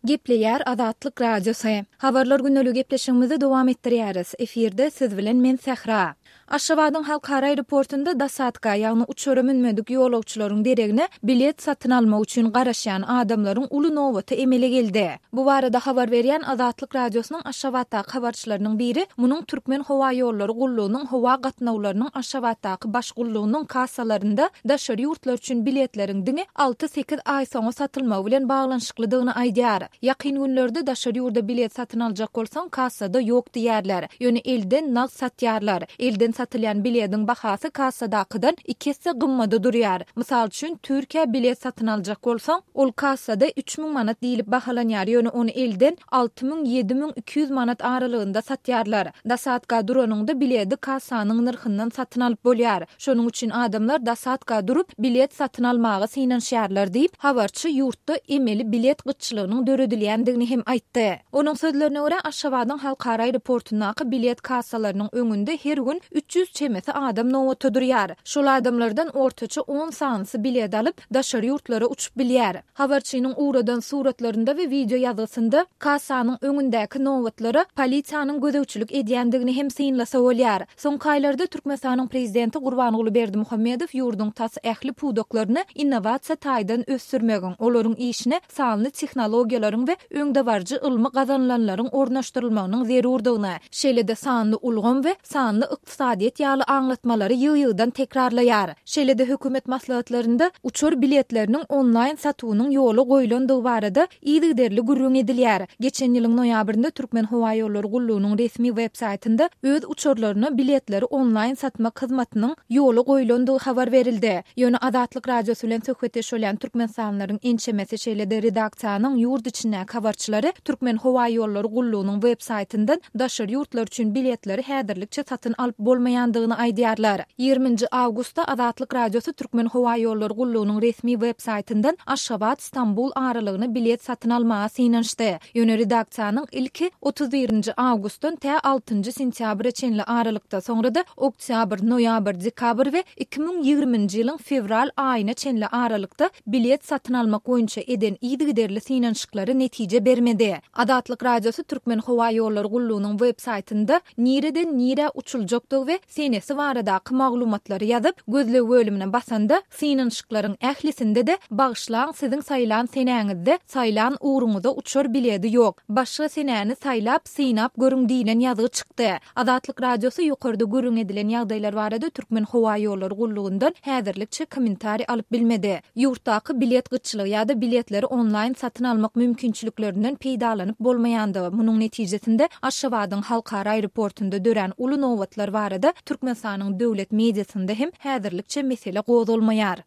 Gepleýär Azatlyk Radiosy. Habarlar gündeligi gepleşigimizi dowam etdirýäris. Efirde siz bilen men Sähra. Aşgabadyň halkara aeroportunda dosadka, ýagny uçara münmedik ýolagçylaryň deregine bilet satyn almak üçin garaşýan adamlaryň uly nobaty emele geldi. Bu barada habar berýän Azatlyk Radiosynyň Aşgabatdaky habarçylarynyň biri munuň Türkmenhowaýollary gullugynyň howa gatnawlarynyň Aşgabatdaky baş gullugynyň kassalarynda daşary ýurtlar üçin biletleriň diňe alty-sekiz aý soňa satylmagy bilen baglanyşyklydygyny aýdýar. Ýakyn günlerde daşary ýurda bilet satyn aljak bolsaň, kassada ýok diýýärler. Ýöne elden nagt satýarlar. Elden satylýan bilediň bahasy kassadakydan iki esse gymmada durýar. Mysal üçin, Türkiýä bilet satyn aljak bolsaň, ol kassada 3000 manat diýlip bahalanýar, ýöne ony elden 6000, 7200 manat aralygynda satýarlar. Dosadka duranyňda biledi kassanyň nyrhyndan satyn alyp bolýar. Şonuň üçin adamlar dosadka durup, bilet satyn almaga synanyşýarlar diýip, habarçy ýurtda emeli bilet gytçylygynyň döredilýändigini hem aýtdy. Onuň sözlerine görä, Aşgabadyň halkara aeroportundaky bilet kassalarynyň öňünde her gün 300 çemesi adam nobata durýar. Şol adamlardan ortaça on sanysy bilet alyp, daşary ýurtlara uçup bilýär. Habarçynyň ugradan suratlarynda we wideo ýazgysynda kassanyň öňündäki nobatlara polisiýanyň gözegçilik edýändigini hem synlasa bolýar. Soňky aýlarda Türkmenistanyň prezidenti Gurbanguly Berdimuhamedow ýurduň tas ähli pudaklaryny innowasiýa taýdan ösdürmegiň, olaryň işine sanly tehnologiýalaryň we öňdebaryjy ylmy gazanylanlaryň ornaşdyrylmagynyň zerurdygyny, şeýle-de sanly ulgam we sanly ykdysadyýet ýaly aňlatmalary ýygy-ýygydan tekrarlaýar. Şeýle-de hökümet maslahatlarynda uçar biletleriniň onlaýn satuwynyň ýola goýlandygy barada yzygiderli gürrüň edilýär. Geçen ýylyň noýabrynda Türkmenhowaýollary gullugynyň resmi web-saýtynda öz uçarlaryna biletleri onlaýn satmak hyzmatynyň ýola goýlandygy habar berildi. Ýöne Azatlyk Radiosy bilen söhbetdeş bolýan türkmenistanlylaryň ençemesi, şeýle-de redaksiýanyň ýurt içindäki habarçylary Türkmenhowaýollary gullugynyň web-saýtyndan daşary ýurtlar üçin biletleri häzirlikçe satyn alyp bolmaýandygyny aýdýarlar. Ýigriminji awgustda Azatlyk Radiosy Türkmenhowaýollary gullugynyň resmi web-saýtyndan Aşgabat, Stambul aralygyna bilet satyn almaga synanyşdy. Ýöne redaksiýanyň ilki 31 nji awgustdan tä altynjy sentýabra çenli aralykda, soňra-da oktýabr, noýabr, dekabr we 2020-nji ýylyň fewral aýyna çenli aralykda bilet satyn almak boýunça eden yzygiderli synanyşyklary netije bermedi. Azatlyk Radiosy Türkmenhowaýollary gullugynyň web-saýtynda nireden nirä uçuljakdygy we senesi baradaky maglumatlary ýazyp, gözleg bölümine basanda, synanyşyklaryň ählisinde-de Bagyşlaň, siziň saýlan senäňizde saýlan ugruňyza uçar biledi ýok. Başga senäni saýlap, synap görüň diýlen ýazgy çykdy. Azatlyk Radiosy ýokarda gürrüň edilen ýagdaýlar barada Türkmenhowaýollary gullugyndan häzirlikçe kommentariý alyp bilmedi. Ýurtdaky bilet gytçylygy ýa-da biletleri onlaýn satyn almak mümkinçiliklerinden peýdalanyp bolmaýandygy, munuň netijesinde Aşgabadyň halkara aeroportunda dörän uly nobatlar barada Türkmenistanyň döwlet mediasynda hem häzirlikçe mesele gozgalmaýar.